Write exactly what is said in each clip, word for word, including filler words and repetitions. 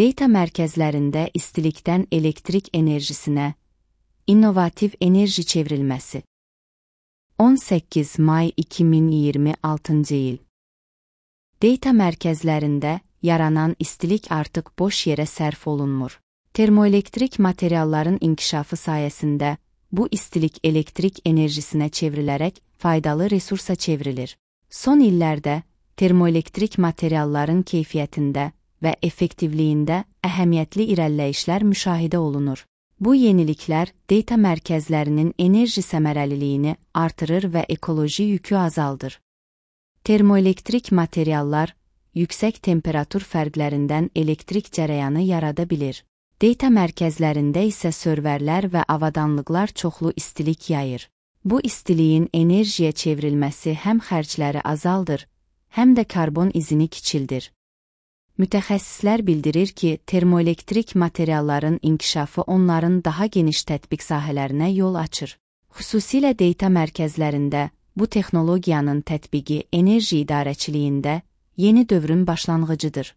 Data mərkəzlərində istilikdən elektrik enerjisinə, innovativ enerji çevrilməsi. on səkkiz may iki min iyirmi altıncı il. Data mərkəzlərində yaranan istilik artıq boş yerə sərf olunmur. Termoelektrik materialların inkişafı sayəsində bu istilik elektrik enerjisinə çevrilərək faydalı resursa çevrilir. Son illərdə termoelektrik materialların keyfiyyətində və effektivliyində əhəmiyyətli irəliləyişlər müşahidə olunur. Bu yeniliklər data mərkəzlərinin enerji səmərəliliyini artırır və ekoloji yükü azaldır. Termoelektrik materiallar yüksək temperatur fərqlərindən elektrik cərəyanı yarada bilir. Data mərkəzlərində isə serverlər və avadanlıqlar çoxlu istilik yayır. Bu istiliyin enerjiyə çevrilməsi həm xərcləri azaldır, həm də karbon izini kiçildir. Mütəxəssislər bildirir ki, termoelektrik materialların inkişafı onların daha geniş tətbiq sahələrinə yol açır. Xüsusilə data mərkəzlərində bu texnologiyanın tətbiqi enerji idarəçiliyində yeni dövrün başlanğıcıdır.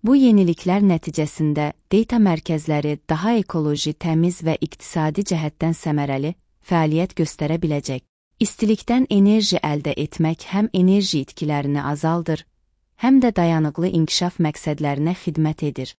Bu yeniliklər nəticəsində data mərkəzləri daha ekoloji, təmiz və iqtisadi cəhətdən səmərəli fəaliyyət göstərə biləcək. İstilikdən enerji əldə etmək həm enerji itkilərini azaldır, həm də dayanıqlı inkişaf məqsədlərinə xidmət edir.